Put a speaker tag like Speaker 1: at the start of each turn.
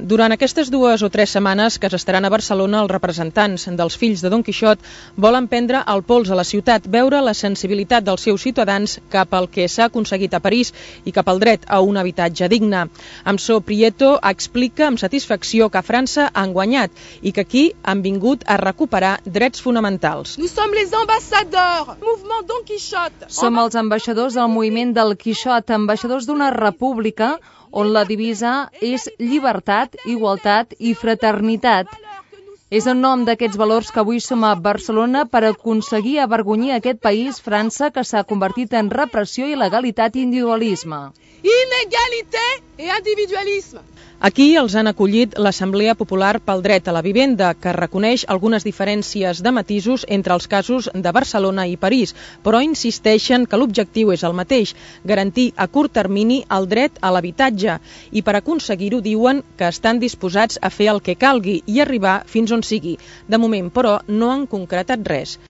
Speaker 1: Durant aquestes 2 o 3 setmanes que s'estaran a Barcelona, els representants dels fills de Don Quixot volen prendre el pols a la ciutat, veure la sensibilitat dels seus ciutadans cap al que s'ha aconseguit a París i cap al dret a un habitatge digne. Amsó Prieto explica amb satisfacció que a França han guanyat i que aquí han vingut a recuperar drets fonamentals.
Speaker 2: Nous sommes les ambassadeurs, mouvement Don Quixot.
Speaker 3: Som els ambaixadors del moviment del Quixot, ambaixadors d'una república on la divisa és llibertat, igualtat i fraternitat. És en nom d'aquests valors que avui som a Barcelona per aconseguir avergonyir aquest país, França, que s'ha convertit en repressió, il·legalitat i individualisme.
Speaker 2: Inégalité et individualisme.
Speaker 1: Aquí els han acollit l'Assemblea Popular pel Dret a la Vivenda, que reconeix algunes diferències de matisos entre els casos de Barcelona i París, però insisteixen que l'objectiu és el mateix, garantir a curt termini el dret a l'habitatge, i per aconseguir-ho diuen que estan disposats a fer el que calgui i arribar fins on sigui. De moment, però, no han concretat res.